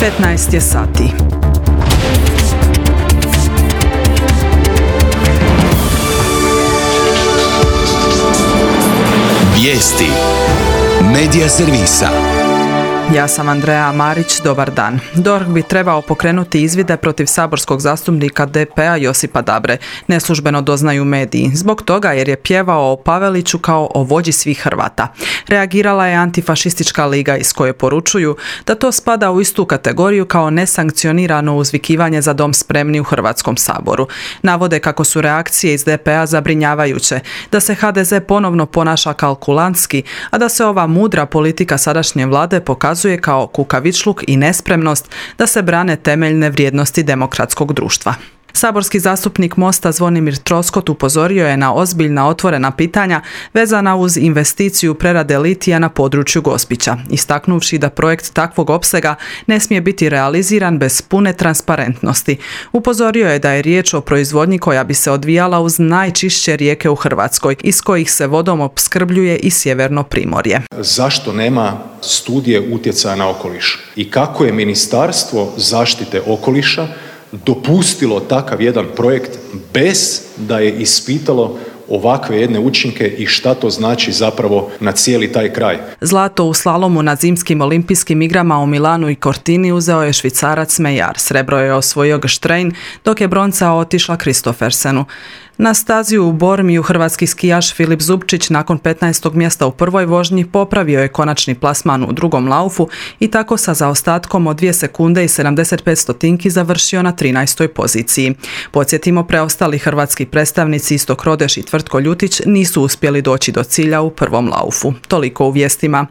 15 je sati. Vijesti Medija servisa. Ja sam Andreja Marić, dobar dan. DORH bi trebao pokrenuti izvide protiv saborskog zastupnika DP-a Josipa Dabre. Neslužbeno doznaju mediji. Zbog toga jer je pjevao o Paveliću kao o vođi svih Hrvata. Reagirala je Antifašistička liga iz koje poručuju da to spada u istu kategoriju kao nesankcionirano uzvikivanje za dom spremni u Hrvatskom saboru. Navode kako su reakcije iz DP-a zabrinjavajuće, da se HDZ ponovno ponaša kalkulantski, a da se ova mudra politika sadašnje vlade pokazuje kao kukavičluk i nespremnost da se brane temeljne vrijednosti demokratskog društva. Saborski zastupnik Mosta Zvonimir Troskot upozorio je na ozbiljna otvorena pitanja vezana uz investiciju prerade litija na području Gospića, istaknuvši da projekt takvog opsega ne smije biti realiziran bez pune transparentnosti. Upozorio je da je riječ o proizvodnji koja bi se odvijala uz najčišće rijeke u Hrvatskoj, iz kojih se vodom opskrbljuje i sjeverno primorje. Zašto nema studije utjecaja na okoliš i kako je Ministarstvo zaštite okoliša dopustilo takav jedan projekt bez da je ispitalo ovakve jedne učinke i šta to znači zapravo na cijeli taj kraj. Zlato u slalomu na zimskim olimpijskim igrama u Milanu i Cortini uzeo je Švicarac Mejar. Srebro je osvojio Gštrein, dok je bronca otišla Kristofersenu. Na stazi u Bormiju hrvatski skijaš Filip Zubčić nakon 15. mjesta u prvoj vožnji popravio je konačni plasman u drugom laufu i tako sa zaostatkom od 2 sekunde i 75 stotinki završio na 13. poziciji. Podsjetimo, preostali hrvatski predstavnici Istok Rodeš i Tvrtko Ljutić nisu uspjeli doći do cilja u prvom laufu. Toliko u vijestima.